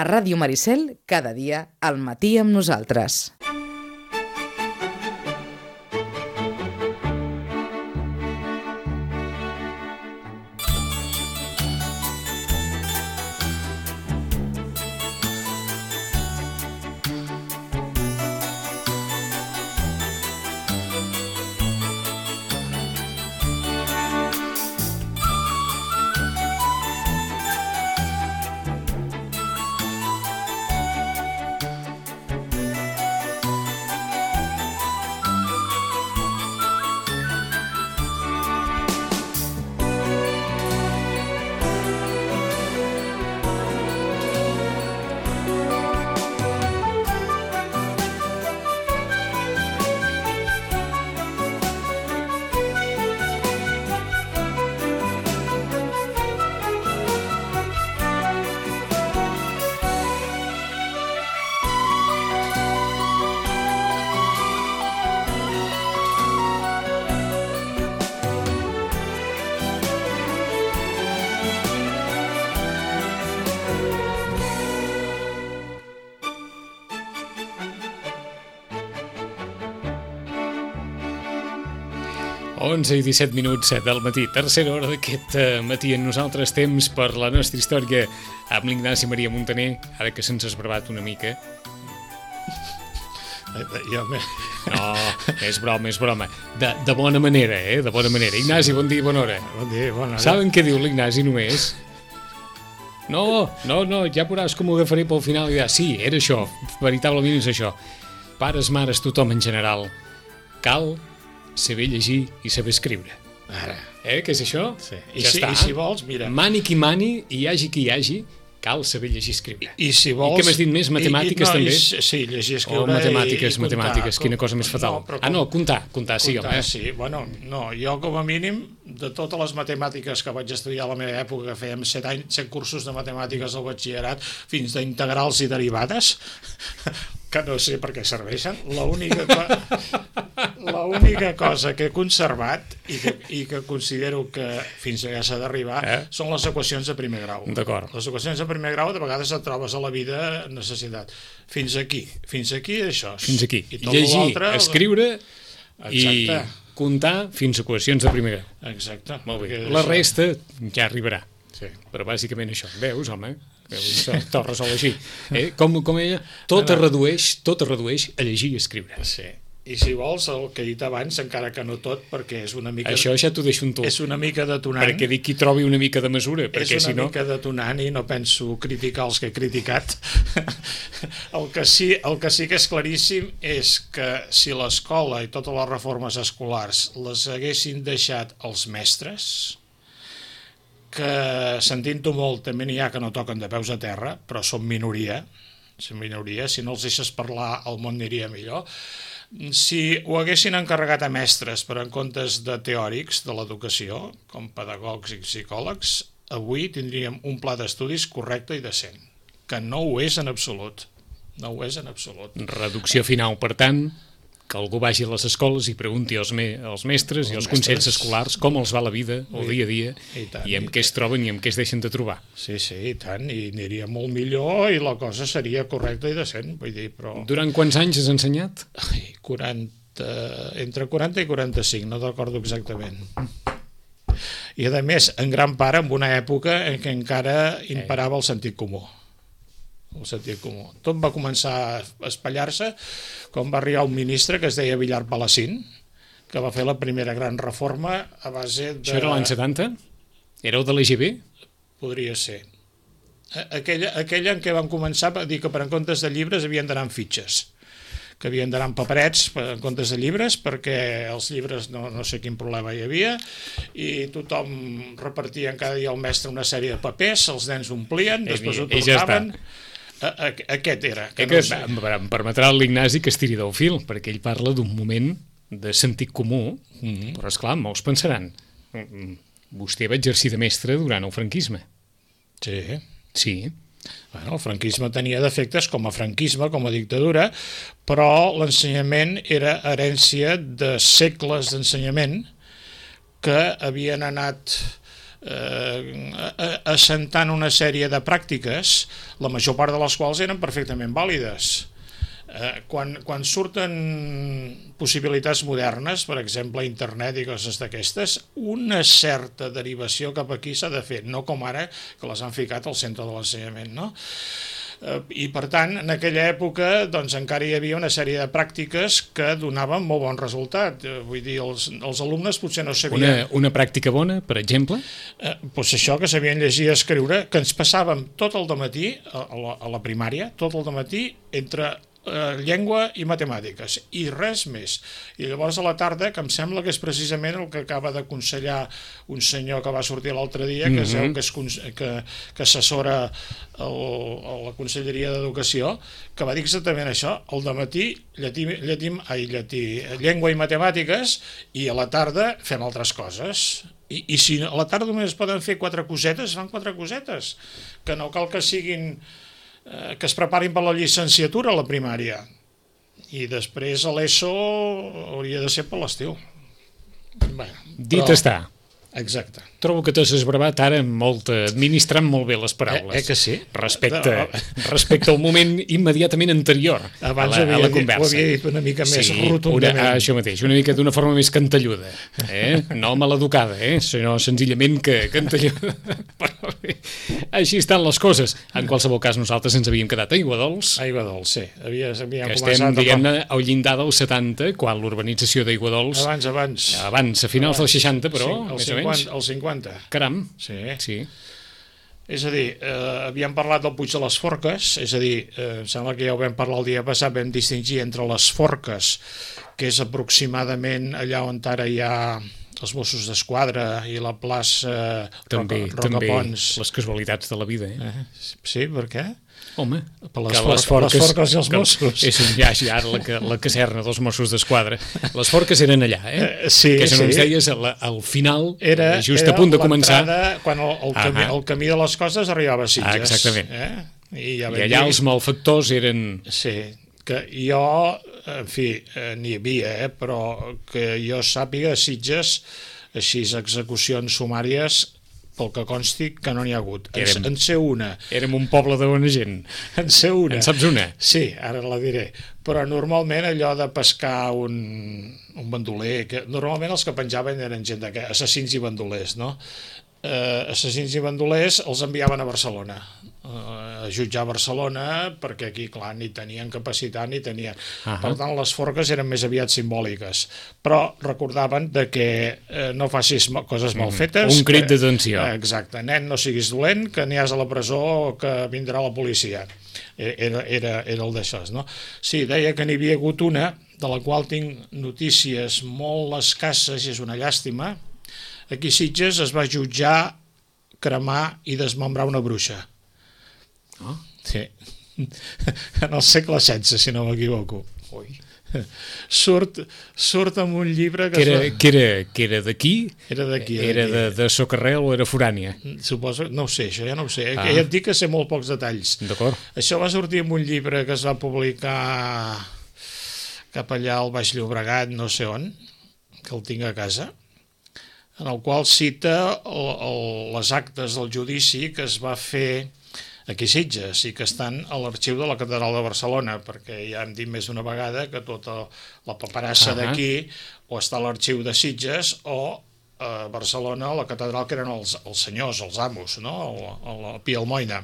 A Ràdio Maricel, cada dia, al matí amb nosaltres. Onze i 17 minuts del matí, tercera hora d'aquest matí en nosaltres, temps per la nostra història amb l'Ignasi Maria Montaner, ara que se'ns ha esbravat una mica. No, és broma. De bona manera, de bona manera. Ignasi, bon dia i bona hora. Bon dia, bona hora. Saben què diu l'Ignasi només? No, ja veuràs com ho agafaré pel final i dirà, sí, era això, veritablement és això. Pares, mares, tothom en general. Cal saber llegir i saber escriure. Ara. Què és això? Sí. Ja està. I si vols, mira... Mani qui mani, i hi hagi qui hi hagi, cal saber llegir i escriure. I si vols... I què m'has dit més? Matemàtiques també? Sí, llegir, escriure matemàtiques, i matemàtiques, quina cosa més fatal. Comptar, sí, home. Sí, bueno, no, jo com a mínim, de totes les matemàtiques que vaig estudiar a la meva època, que fèiem 7 cursos de matemàtiques al batxillerat, fins d'integrals i derivades, que no sé per què serveixen, l'única cosa que he conservat i que considero que fins allà s'ha d'arribar són les equacions de primer grau. D'acord. Les equacions de primer grau de vegades et trobes a la vida necessitat. Fins aquí això. Fins aquí. I tot llegir, l'altre, escriure i exacte, comptar fins a equacions de primer grau. Exacte. Molt bé. La resta ja arribarà. Sí. Però bàsicament això. Veus, home? Te'l resol així. Com ella, tot es redueix a llegir i escriure. Sí. I si vols, el que he dit abans, encara que no tot, perquè és una mica... Això ja t'ho deixo amb tu. És una mica detonant. Perquè dic que hi trobi una mica de mesura, perquè si no... És una mica detonant i no penso criticar els que he criticat. El que sí que és claríssim és que si l'escola i totes les reformes escolars les haguessin deixat als mestres, que sentint-ho molt també n'hi ha que no toquen de peus a terra, però són minoria, si no els deixes parlar el món aniria millor. Si ho haguessin encarregat a mestres per en comptes de teòrics de l'educació, com pedagogs i psicòlegs, avui tindríem un pla d'estudis correcte i decent, que no ho és en absolut. No ho és en absolut. Reducció final, per tant, que algú vagi a les escoles i pregunti als mestres i als consells escolars com els va la vida, el dia a dia, i amb què es troben i amb què es deixen de trobar. Sí, i tant, i aniria molt millor i la cosa seria correcta i decent, vull dir, però... Durant quants anys has ensenyat? Entre 40 i 45, no recordo exactament. I a més, en gran part, en una època en què encara imperava el sentit comú. Tot va començar a espatllar-se quan va arribar un ministre que es deia Villar Palacín, que va fer la primera gran reforma a base de... Això era l'any 70? Éreu de l'EGB? Podria ser. Aquella en què van començar a dir que per en comptes de llibres havien d'anar en fitxes, que havien d'anar en paperets en comptes de llibres, perquè els llibres no sé quin problema hi havia, i tothom repartia cada dia al mestre una sèrie de papers, els nens omplien, després ho tornaven... Aquest era. Em permetrà l'Ignasi que es tiri del fil, perquè ell parla d'un moment de sentit comú, però esclar, molts pensaran, vostè va exercir de mestre durant el franquisme. Sí. Bueno, el franquisme tenia defectes com a franquisme, com a dictadura, però l'ensenyament era herència de segles d'ensenyament que havien anat assentant una sèrie de pràctiques, la major part de les quals eren perfectament vàlides. Quan surten possibilitats modernes, per exemple internet i coses d'aquestes, una certa derivació cap aquí s'ha de fer, no com ara que les han ficat al centre de l'ensenyament, no? I per tant, en aquella època doncs, encara hi havia una sèrie de pràctiques que donaven molt bon resultat. Vull dir, els alumnes potser no sabien... Una pràctica bona, per exemple? Doncs això, que sabien llegir i escriure, que ens passàvem tot el dematí, a la primària, tot el dematí, entre llengua i matemàtiques, i res més. I llavors a la tarda, que em sembla que és precisament el que acaba d'aconsellar un senyor que va sortir l'altre dia, que es veu que assessora a la Conselleria d'Educació, que va dir exactament això: al dematí llengua i matemàtiques, i a la tarda fem altres coses. I si a la tarda només poden fer 4 cosetes, fan 4 cosetes, que no cal que siguin que es preparin per la llicenciatura a la primària, i després a l'ESO hauria de ser per l'estiu. Dit està. Exacte. Trobo que t'has esbravat ara administrant molt bé les paraules. Que sí? Respecte al moment immediatament anterior a la conversa. Ho havia dit una mica més rotundament. Això mateix, una mica d'una forma més cantelluda. No maleducada, sinó senzillament que cantelluda. Però bé, així estan les coses. En qualsevol cas, nosaltres ens havíem quedat a Aiguadols. Aiguadols, sí. Que estem, diguem-ne, al llindar dels 70, quan l'urbanització d'Aiguadols... Abans, a finals dels 60, però, més o menys. Als 50. Caram. Sí. És a dir, havíem parlat del Puig de les Forques, és a dir, em sembla que ja ho vam parlar el dia passat, vam distingir entre les Forques, que és aproximadament allà on ara hi ha els Mossos d'Esquadra i la plaça Rocapons. Les casualitats de la vida. Sí, per què? Home, per les Forques i els Mossos. És ja la caserna dels Mossos d'Esquadra. Les Forques eren allà, Sí, que no ens deies al final, just a punt de començar. Quan el camí de les costes arribava a Sitges. Exactament. I allà els malfactors eren... Sí, que jo, en fi, n'hi havia, però que jo sàpiga, a Sitges, així execucions sumàries, pel que consti, que no n'hi ha hagut. En sé una. Érem un poble de bona gent. En sé una. En saps una? Sí, ara la diré. Però normalment allò de pescar un bandoler, que normalment els que penjaven eren gent assassins i bandolers, no? Assassins i bandolers els enviaven a Barcelona, a jutjar a Barcelona, perquè aquí, clar, ni tenien capacitat ni tenien... Per tant, les forques eren més aviat simbòliques, però recordaven de que no facis coses mal fetes. Un crit d'atenció. Exacte, nen, no siguis dolent, que aniràs a la presó o que vindrà la policia. Era el d'això, no? Sí, deia que n'hi havia hagut una, de la qual tinc notícies molt escasses i és una llàstima. Aquí a Sitges es va jutjar, cremar i desmembrar una bruixa. Sí. En el segle XVI, si no m'equivoco. Surt amb un llibre que era d'aquí? Era d'aquí. Era de Socarrel o era forània? Suposo, no ho sé, això ja no ho sé. Ja et dic que sé molt pocs detalls. D'acord. Això va sortir amb un llibre que es va publicar cap allà al Baix Llobregat, no sé on, que el tinc a casa, en el qual cita les actes del judici que es va fer aquí a Sitges i que estan a l'arxiu de la Catedral de Barcelona, perquè ja hem dit més d'una vegada que tota la paperassa d'aquí o està a l'arxiu de Sitges o a Barcelona, a la catedral, que eren els senyors, els amos, no? El Pi Almoina.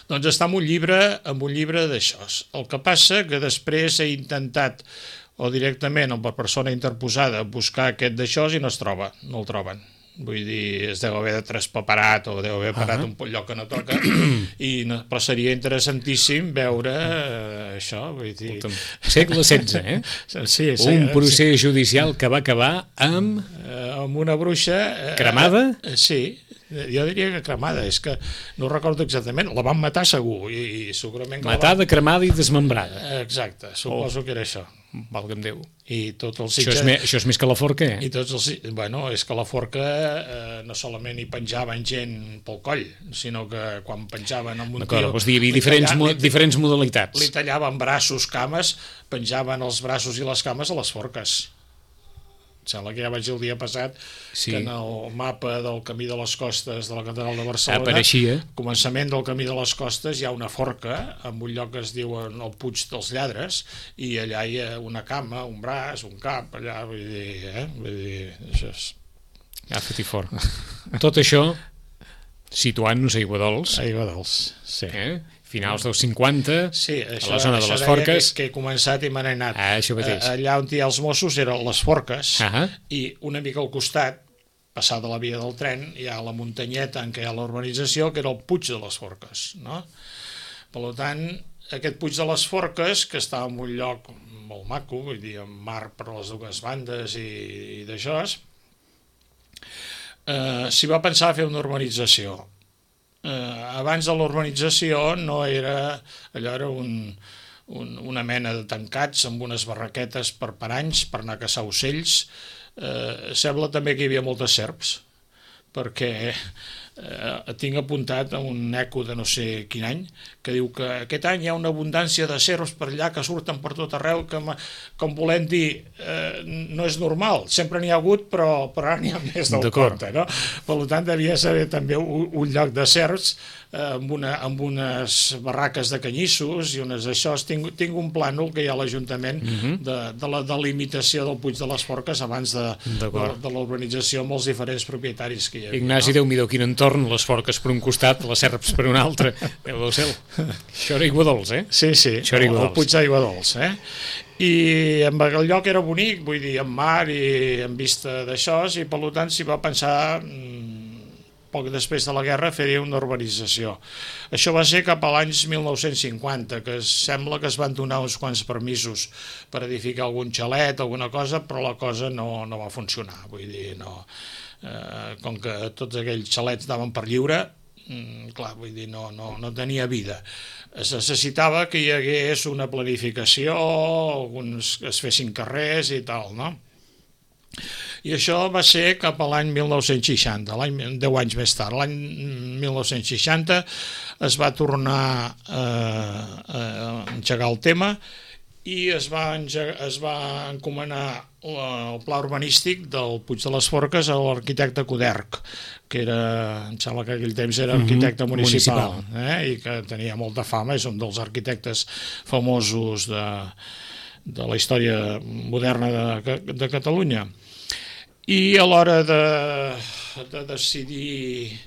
Doncs està en un llibre d'això. El que passa que després he intentat, o directament o per persona interposada, buscar aquest d'això i no es troba, no el troben. Vull dir, es deu haver traspaperat o deu haver parat un lloc que no toca, però seria interessantíssim veure això. Vull dir... Segle XVI, Sí, un procés judicial que va acabar amb... Amb una bruixa... Cremada? Sí, jo diria que cremada, és que no recordo exactament, la van matar segur i segurament... Matada, cremada i desmembrada. Exacte, suposo que era això. Valga'm Déu. I tots els això és més que la forca, I tots els... Bueno, és que la forca no solament hi penjaven gent pel coll, sinó que quan penjaven amb un tio... Vols dir, hi havia diferents modalitats. Li tallaven braços, cames, penjaven els braços i les cames a les forques. sembla que ja vaig dir el dia passat que en el mapa del Camí de les Costes de la Catedral de Barcelona, apareixia. Començament del Camí de les Costes, hi ha una forca en un lloc que es diu el Puig dels Lladres, i allà hi ha una cama, un braç, un cap, allà, vull dir, això és... Agafat i fort. Tot això situant-nos a Aiguadols. Aiguadols, sí. Finals dels 50, sí, això, a la zona de les Forques. Que he començat i me n'he anat. Això mateix. Allà on hi ha els Mossos eren les Forques, i una mica al costat, passada la via del tren, hi ha la muntanyeta en què hi ha la urbanització, que era el Puig de les Forques, no? Per tant, aquest Puig de les Forques, que està en un lloc molt maco, vull dir, amb mar per les dues bandes i d'això, s'hi va pensar a fer una urbanització. Abans de l'urbanització no era... Allò era una mena de tancats amb unes barraquetes per paranys per anar a caçar ocells. Sembla també que hi havia moltes serps, perquè tinc apuntat a un eco de no sé quin any que diu que aquest any hi ha una abundància de serps per allà que surten per tot arreu, que, com volem dir, no és normal, sempre n'hi ha hagut, però ara n'hi ha més del compte, no? Per tant, devia ser també un lloc de serps amb unes barraques de canyissos i unes d'això. Tinc un plànol que hi ha a l'Ajuntament de la delimitació del Puig de les Forques abans de l'urbanització amb els diferents propietaris que hi havia. Ignasi, Déu-m'hi-do, quin entorn, les Forques per un costat, les serps per un altre. Déu del cel. Això era Aiguadols, Sí, el Puig d'Aiguadols, I amb el lloc era bonic, vull dir, amb mar i amb vista d'això, i per tant s'hi va pensar, poc després de la guerra, fer una urbanització. Això va ser cap a l'any 1950, que sembla que es van donar uns quants permisos per edificar algun xalet, alguna cosa, però la cosa no va funcionar, vull dir, no. Com que tots aquells xalets anaven per lliure, clar, vull dir, no tenia vida. Es necessitava que hi hagués una planificació, es fessin carrers i tal, no? I això va ser cap a l'any 1960, 10 anys més tard. L'any 1960 es va tornar a engegar el tema i es va encomanar el pla urbanístic del Puig de les Forques a l'arquitecte Coderch, que em sembla que aquell temps era arquitecte municipal. I que tenia molta fama, és un dels arquitectes famosos de la història moderna de Catalunya. I a l'hora de decidir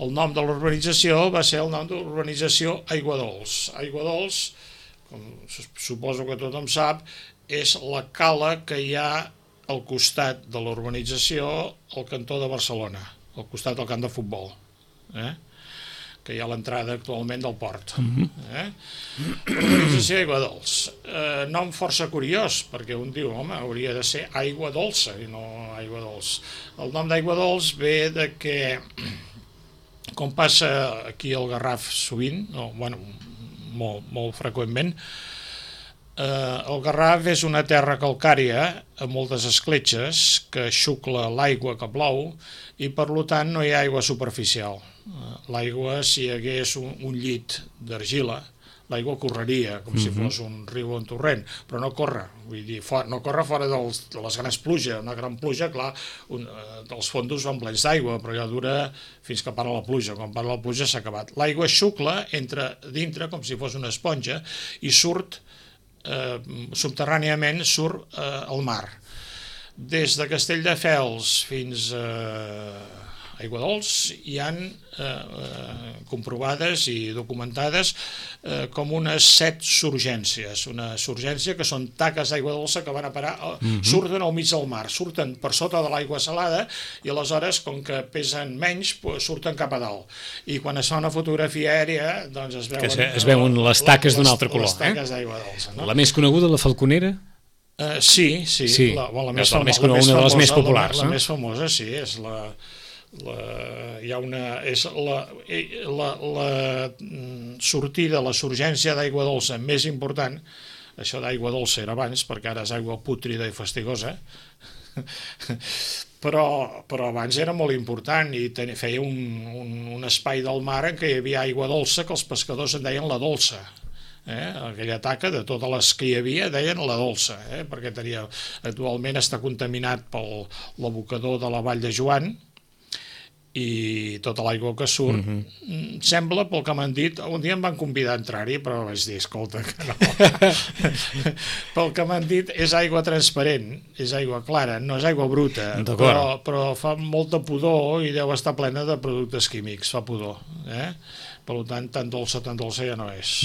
el nom de l'urbanització va ser el nom de l'urbanització Aiguadols. Aiguadols, com suposo que tothom sap, és la cala que hi ha al costat de l'urbanització al cantó de Barcelona, al costat del camp de futbol, que hi ha l'entrada actualment del port. Urbanització Aiguadols. Nom força curiós, perquè un diu, home, hauria de ser aigua dolça i no aigua dolç. El nom d'Aiguadols ve de que, com passa aquí al Garraf sovint, molt freqüentment, el Garraf és una terra calcària amb moltes escletxes que xucla l'aigua que plou i per tant no hi ha aigua superficial. L'aigua, si hi hagués un llit d'argila, l'aigua correria com si fos un riu o un torrent, però no corre, vull dir, no corre fora de les grans pluges. Una gran pluja, clar, els fondos van plens d'aigua, però ja dura fins que para la pluja. Quan para la pluja s'ha acabat. L'aigua xucla, entra dintre com si fos una esponja i surt subterràniament al mar. Des de Castelldefels fins a Aiguadols hi han comprovades i documentades com unes 7 surgències. Una surgència que són taques d'aigua dolça que van a parar, surten al mig del mar, surten per sota de l'aigua salada i aleshores, com que pesen menys, surten cap a dalt. I quan es fa una fotografia aèria, doncs es veuen les taques d'un altre color. Les taques d'aigua dolça. La més coneguda, la Falconera? Sí. Una de les més populars. La més famosa, sí, és la sortida, la surgència d'aigua dolça més important. Això d'aigua dolça era abans, perquè ara és aigua pútrida i fastigosa, però abans era molt important i feia un espai del mar en què hi havia aigua dolça que els pescadors en deien la dolça. aquella taca, de totes les que hi havia, deien la dolça, perquè actualment està contaminat pel l'abocador de la Vall de Joan, i tota l'aigua que surt sembla, pel que m'han dit, un dia em van convidar a entrar-hi, però vaig dir, escolta, que no. Pel que m'han dit, és aigua transparent, és aigua clara, no és aigua bruta, però fa molta pudor i deu estar plena de productes químics, fa pudor. Per tant, tan dolça ja no és.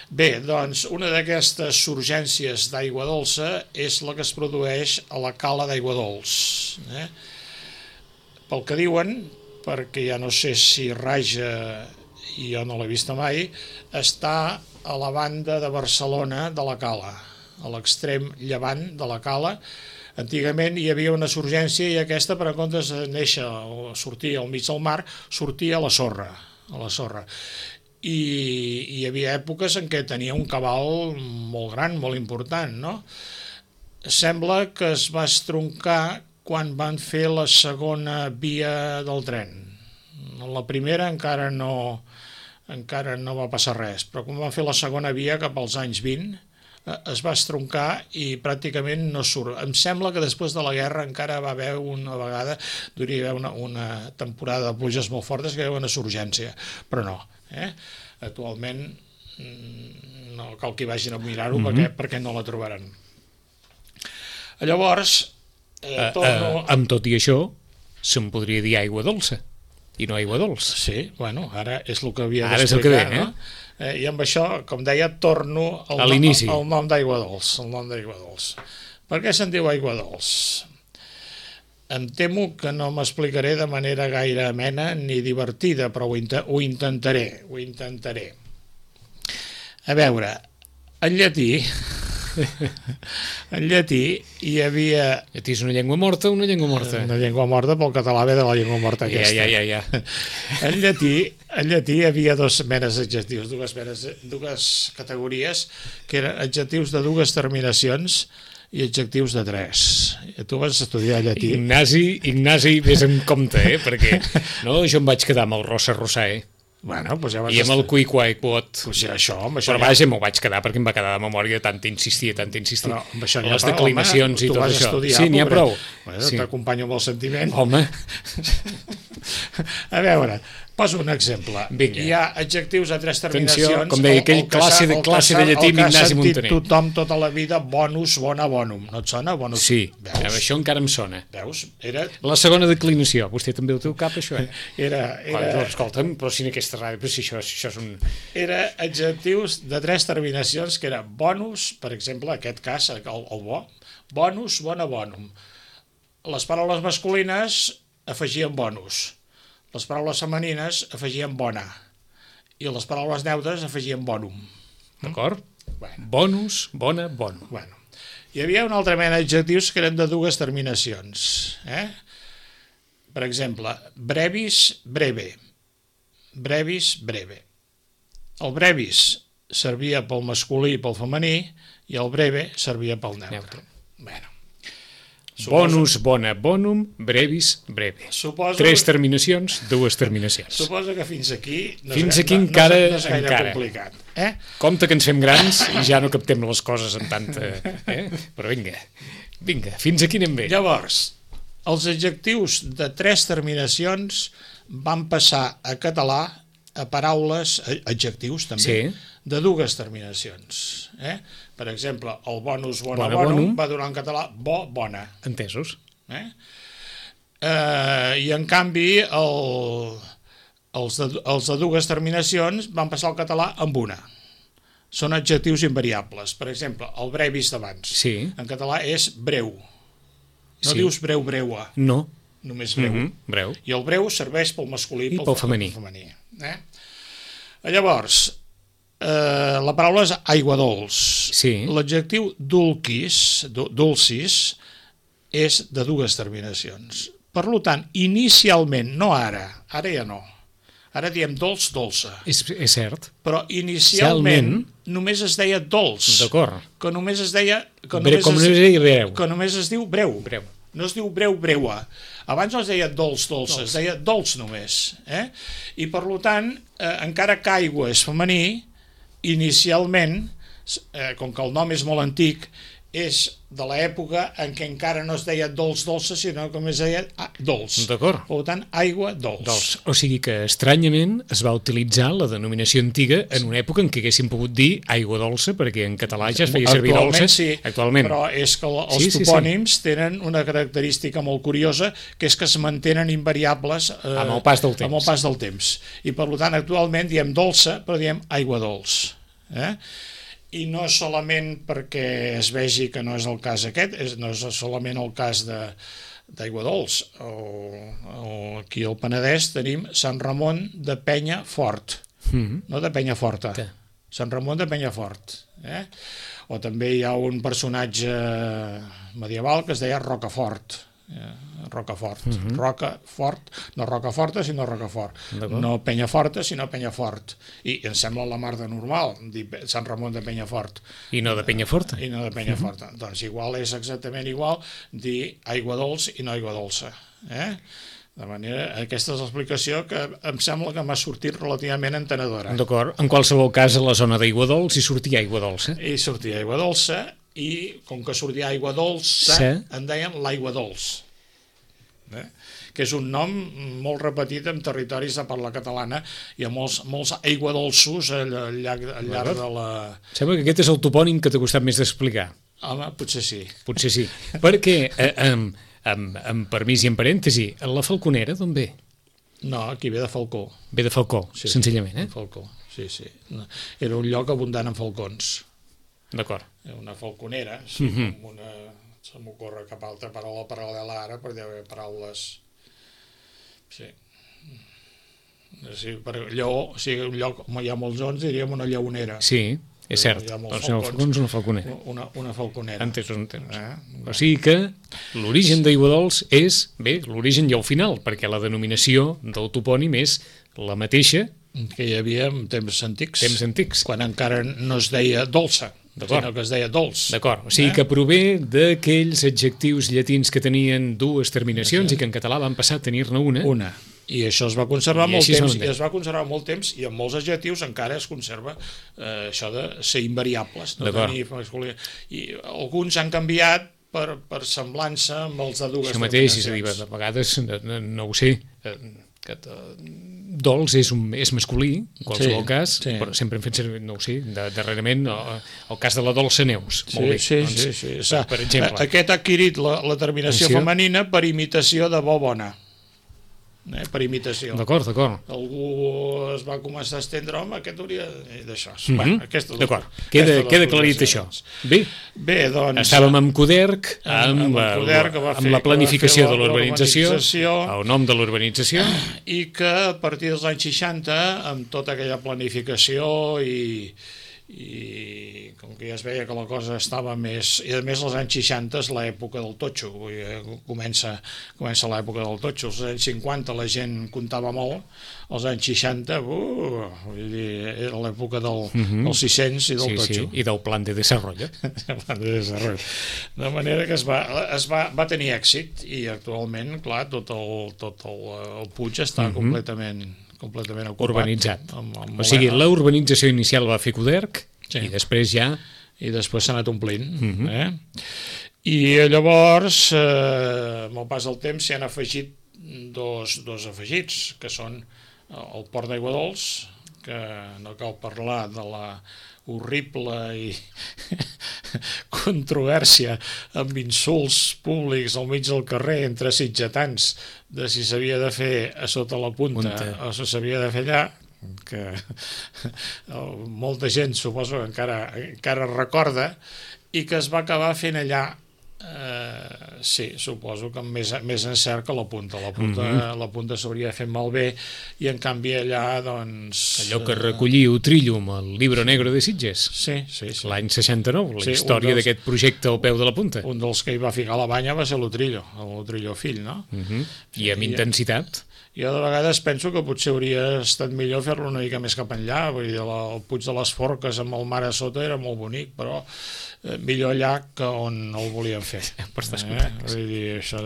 Bé, doncs, una d'aquestes surgències d'aigua dolça és la que es produeix a la cala d'Aigua Dols. Pel que diuen, perquè ja no sé si raja, i jo no l'he vista mai, està a la banda de Barcelona de la cala, a l'extrem llevant de la cala. Antigament hi havia una surgència i aquesta, per en comptes de néixer o sortir al mig del mar, sortia a la sorra. I hi havia èpoques en què tenia un cabal molt gran, molt important, no? Sembla que es va estroncar quan van fer la segona via del tren. La primera encara no va passar res, però quan van fer la segona via cap als anys 20 es va estroncar i pràcticament no surt. Em sembla que després de la guerra encara va haver una vegada, hauria d'haver una temporada de pluges molt fortes que hi havia una surgència, però no. Actualment no cal que hi vagin a mirar-ho perquè no la trobaran. Llavors, amb tot i això, se'n podria dir aigua dolça, i no aigua dolç. Sí, bueno, ara és el que havia d'explicar. Ara és el que ve, no? I amb això, com deia, torno al nom d'aigua dolç. Per què se'n diu aigua dolç? Em temo que no m'explicaré de manera gaire amena ni divertida, però ho intentaré. A veure, en llatí hi havia... Llatí és una llengua morta o una llengua morta? Una llengua morta, pel català ve de la llengua morta aquesta. Ja. En llatí hi havia dues menes d'adjectius, dues categories, que eren adjectius de dues terminacions i adjectius de tres. Tu vas estudiar llatí. Ignasi, vés en compte, perquè no, jo em vaig quedar amb el rossa, Bueno, pues ja i amb el cuiquaiquot, pues ja però vaja, m'ho vaig quedar perquè em va quedar de memòria tant insistir, però les declinacions i tot això, sí, n'hi ha prou, t'acompanyo amb el sentiment. Home, a veure, poso un exemple. Hi ha adjectius de tres terminacions. Atenció, com deia aquell classe de llatí amb Ignasi Montaner. El que s'ha sentit tothom tota la vida, bonus, bona, bonum. No et sona? Bonus. Sí, això encara em sona. Veus? La segona declinació. Vostè també ho té al cap, això, Escolta'm, però si en aquesta ràdio, però si això és un... Era adjectius de tres terminacions, que era bonus, per exemple, en aquest cas, el bo, bonus, bona, bonum. Les paraules masculines afegien bonus. Les paraules femenines afegien bona i les paraules neutres afegien bonum. D'acord? Bonus, bona, bonum. Hi havia una altra mena d'adjectius que eren de dues terminacions. Per exemple, brevis, breve. Brevis, breve. El brevis servia pel masculí i pel femení i el breve servia pel neutre. Bonus, bona, bonum, brevis, breve. Tres terminacions, dues terminacions. Suposo que fins aquí no és gaire complicat. Compte que ens fem grans i ja no captem les coses amb tanta... Però vinga, fins aquí anem bé. Llavors, els adjectius de tres terminacions van passar a català a paraules, adjectius també, de dues terminacions. Per exemple, el bonus, bona, bonum, va donar en català bo, bona. Entesos. I en canvi, els de dues terminacions van passar al català amb una. Són adjectius invariables. Per exemple, el brevis d'abans. En català és breu. No dius breu, breua. No. Només breu. I el breu serveix pel masculí i pel femení. Llavors, la paraula és aigua dolç. L'adjectiu dulcis és de dues terminacions. Per tant, inicialment, no ara ja no. Ara diem dolç, dolça. És cert. Però inicialment només es deia dolç. D'acord. Que només es deia... Com breu. Que només es diu breu. No es diu breu, breua. Abans no es deia dolç, dolça, es deia dolç només. I per tant, encara que aigua és femení, inicialment, com que el nom és molt antic, és de l'època en què encara no es deia dolça, sinó com es deia dolç. D'acord. Per tant, aigua dolç. O sigui que, estranyament, es va utilitzar la denominació antiga en una època en què haguéssim pogut dir aigua dolça, perquè en català ja es feia servir dolça. Sí, actualment. Però és que els topònims tenen una característica molt curiosa, que és que es mantenen invariables amb el pas del temps. I, per tant, actualment diem dolça, però diem aigua dolç. I no solament perquè es vegi que no és el cas aquest, no és solament el cas d'Aigua Dols. Aquí al Penedès tenim Sant Ramon de Penyafort, no de Penyaforta, Sant Ramon de Penyafort. O també hi ha un personatge medieval que es deia Rocafort, Rocafort, no Rocaforta sinó Rocafort, no Penyaforta sinó Penyafort, i em sembla la mar de normal dir Sant Ramon de Penyafort i no de Penyaforta, doncs igual és exactament igual dir aigua dolç i no aigua dolça. De manera, aquesta és l'explicació que em sembla que m'ha sortit relativament entenedora. D'acord, en qualsevol cas a la zona d'aigua dolç hi sortia aigua dolça. I sortia aigua dolça, i com que sortia aigua dolça, en deien l'aigua dolç, que és un nom molt repetit en territoris de parla catalana. Hi ha molts aigua dolços al llarg de la... Sembla que aquest és el topònim que t'ha costat més d'explicar. Home, potser sí. Potser sí, perquè, amb permís i en parèntesi, la Falconera d'on ve? No, aquí ve de Falcó. Ve de Falcó, senzillament, Falcó, sí. Era un lloc abundant en falcons. D'acord. Una falconera, se m'ocorre cap altra paraula paral·lela ara, perquè deu haver paraules... per lleó, o sigui, un lloc on hi ha molts ons, diríem una lleonera. Sí, és cert, doncs el falcon és una falconera. Una falconera. Entesos. O sigui que l'origen d'Aigua Dols és, bé, l'origen ja al final, perquè la denominació del topònim és la mateixa que hi havia en temps antics. Quan encara no es deia dolça, sinó que es deia dolç. D'acord, o sigui que prové d'aquells adjectius llatins que tenien dues terminacions i que en català van passar a tenir-ne una. I això es va conservar molt temps, i es va conservar molt temps, i en molts adjectius encara es conserva això de ser invariables. I alguns han canviat per semblança amb els de dues terminacions. Això mateix, és a dir, de vegades, no ho sé, dolç és masculí, en qualsevol cas, però sempre hem fet servir, no ho sé, darrerament el cas de la dolça Neus. Molt bé. Sí. Per exemple. Aquest ha adquirit la terminació femenina per imitació de bo bona. Per imitació. D'acord. Algú es va començar a estendre, home, aquest hauria d'això. D'acord, queda aclarit això. Bé, doncs... Estàvem amb Coderc, amb la planificació de l'urbanització, el nom de l'urbanització. I que a partir dels anys 60, amb tota aquella planificació i com que ja es veia que la cosa estava més... I a més als anys 60 és l'època del totxo, comença l'època del totxo. Als anys 50 la gent comptava molt, als anys 60 era l'època dels 600 i del totxo. I del plan de desarrollo. De manera que es va tenir èxit, i actualment, clar, tot el Puig està completament ocupat. Urbanitzat. O sigui, la urbanització inicial va fer Coderc i després ja... I després s'ha anat omplint. I llavors, amb el pas del temps, s'hi han afegit dos afegits, que són el Port d'Aigua Dols, que no cal parlar de la horrible i controvèrsia amb insults públics al mig del carrer entre sitgetans de si s'havia de fer a sota la punta o si s'havia de fer allà, que molta gent suposo que encara recorda, i que es va acabar fent allà. Sí, suposo que amb més encert que la punta. La punta s'hauria fet malbé, i en canvi allà, doncs... Allò que recollia Utrillo amb el Libro Negro de Sitges. Sí. L'any 69, la història d'aquest projecte al peu de la punta. Un dels que hi va ficar la banya va ser l'Utrillo, l'Utrillo fill, no? I amb intensitat. Jo de vegades penso que potser hauria estat millor fer-lo una mica més cap enllà, vull dir, el Puig de les Forques amb el mar a sota era molt bonic, però millor allà que on el volien fer. Vull dir, això.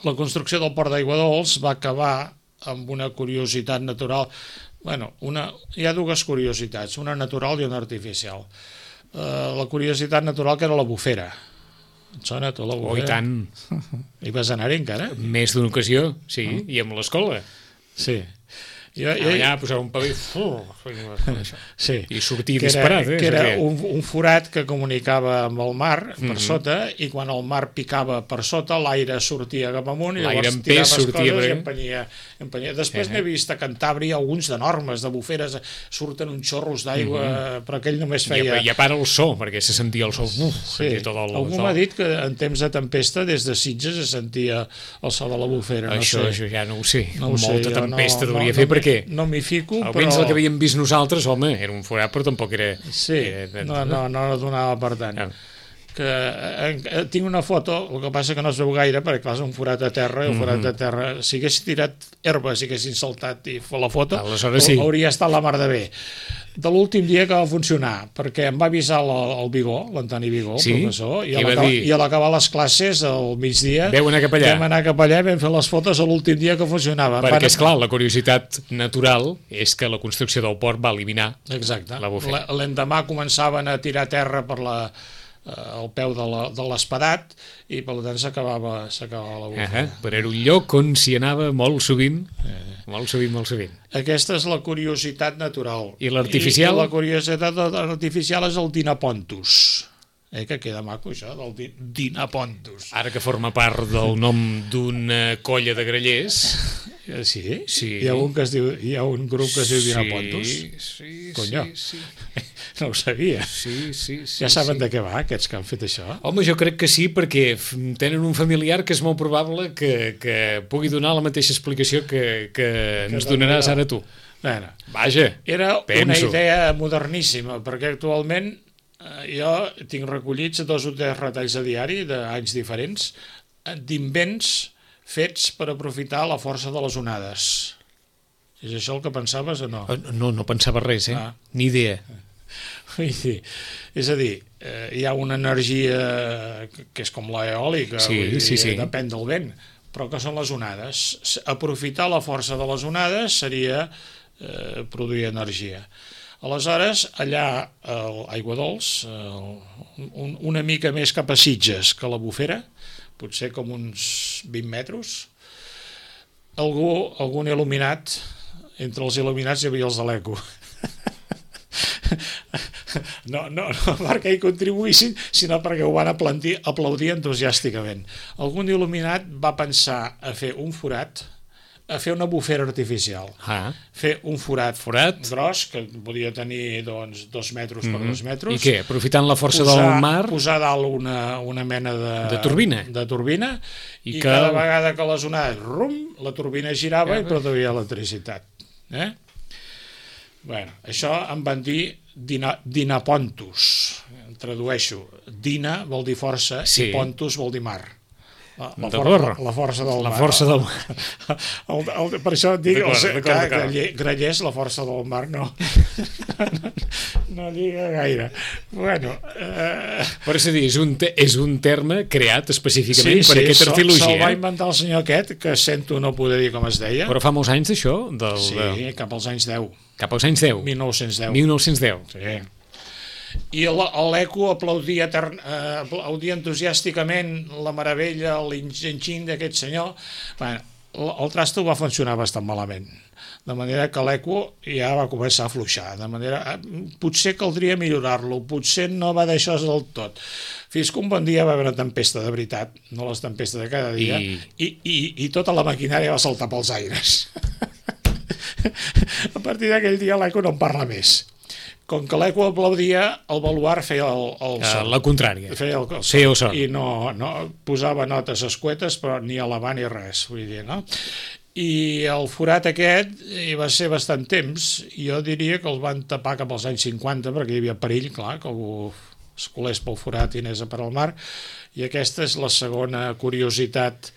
La construcció del Port d'Aigua Dols va acabar amb una curiositat natural. Bueno, hi ha dues curiositats, una natural i una artificial. La curiositat natural, que era la bufera. Et sona, tu, la bufera? Oh, i tant. Hi vas anar-hi encara? Més d'una ocasió, sí, i amb l'escola. Sí. Allà posava un paper sí. I sortia disparat. Que era un forat que comunicava amb el mar per sota, i quan el mar picava per sota, l'aire sortia cap amunt i llavors tiraves coses i empenia. Després n'he vist a Cantàbria alguns d'enormes, de buferes, surten uns xorros d'aigua, però aquell només feia... I a part el so, perquè se sentia el so. Sí. Algú m'ha dit que en temps de tempesta des de Sitges se sentia el so de la bufera. Això ja no ho sé. Molta tempesta devia fer, perquè no m'hi fico, però... Almenys el que havíem vist nosaltres, home, era un forat, però tampoc era... Sí, no donava per tant. Tinc una foto, el que passa que no es veu gaire, perquè clar, és un forat a terra, i el forat a terra, si hagués tirat herba, si haguessin saltat i la foto, hauria estat la mar de bé. De l'últim dia que va funcionar, perquè em va avisar el Vigó, l'Antoni Vigó, el professor, i a l'acabar les classes al migdia vam anar cap allà i vam fer les fotos a l'últim dia que funcionava. Perquè, esclar, la curiositat natural és que la construcció del port va eliminar la bufera. L'endemà començaven a tirar terra per al peu de l'espadat i per tant s'acabava la bufera. Però era un lloc on s'hi anava molt sovint. Molt sovint. Aquesta és la curiositat natural. I l'artificial? I la curiositat artificial és el Dinapontus. Que queda maco això, del Dinapontus. Ara que forma part del nom d'una colla de grallers. Sí? Hi ha un grup que es diu Dinapontus? Sí. Conyo. No ho sabia. Ja saben de què va, aquests que han fet això? Home, jo crec que sí, perquè tenen un familiar que és molt probable que pugui donar la mateixa explicació que ens donaràs ara tu. Bueno, vaja, era una idea moderníssima, perquè actualment jo tinc recollits 2 o 3 retalls a diari d'anys diferents d'invents fets per aprofitar la força de les onades. És això el que pensaves o no? No pensava res, ni idea. És a dir, hi ha una energia que és com l'eòlica, depèn del vent, però que són les onades. Aprofitar la força de les onades seria produir energia. Aleshores, allà a Aiguadols, una mica més cap a Sitges que la Bufera, potser com uns 20 metres, algun il·luminat, entre els il·luminats hi havia els de l'ECO. No perquè hi contribuïssin, sinó perquè ho van aplaudir entusiàsticament. Algun il·luminat va pensar a fer un forat, a fer una bufera artificial, fer un forat gros, que podia tenir 2 metres per 2 metres. I què? Aprofitant la força del mar? Posar dalt una mena de turbina i cada vegada que les onades, la turbina girava i produïa electricitat. Bueno, això em van dir Dinapontus, tradueixo. Dina vol dir força i Pontus vol dir mar. La força del mar. La força del mar. Per això et dic, grallers, la força del mar, no lliga gaire. Bueno... Per això dir, és un terme creat específicament per aquesta arqueologia. Se'l va inventar el senyor aquest, que sento no poder dir com es deia. Però fa molts anys d'això? Sí, cap als anys 10. Cap als anys 10? 1910. 1910. Sí. I l'ECO aplaudia entusiàsticament la meravella, l'enginx d'aquest senyor. El trasto va funcionar bastant malament, de manera que l'ECO ja va començar a afluixar, de manera potser caldria millorar-lo, potser no va deixar del tot, fins que un bon dia va haver una tempesta de veritat, no les tempestes de cada dia, i tota la maquinària va saltar pels aires. A partir d'aquell dia l'ECO no en parla més. Com que l'ECO aplaudia, el baluart feia el son. La contrària. Feia el son. I no posava notes escuetes, però ni elevar ni res, vull dir, no? I el forat aquest hi va ser bastant temps. Jo diria que el van tapar cap als anys 50, perquè hi havia perill, clar, que algú es colés pel forat i anés a per al mar. I aquesta és la segona curiositat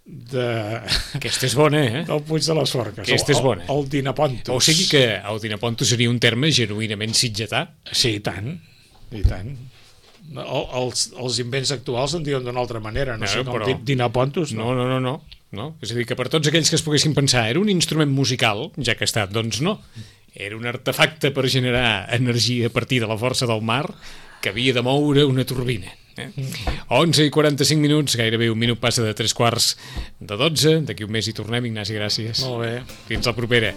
Aquesta és bona, del Puig de les Forques. Aquesta és bona. El Dinapontus. O sigui que el Dinapontus seria un terme genuïnament sitgetà? Sí, i tant. Els invents actuals en diuen d'una altra manera, no sé com Dinapontus. No. no? És a dir, que per tots aquells que es poguessin pensar era un instrument musical, ja que ha estat, doncs no. Era un artefacte per generar energia a partir de la força del mar que havia de moure una turbina. 11:45, gairebé un minut passa de 3 quarts de 12. D'aquí un mes hi tornem, Ignasi, gràcies. Molt bé. Fins la propera.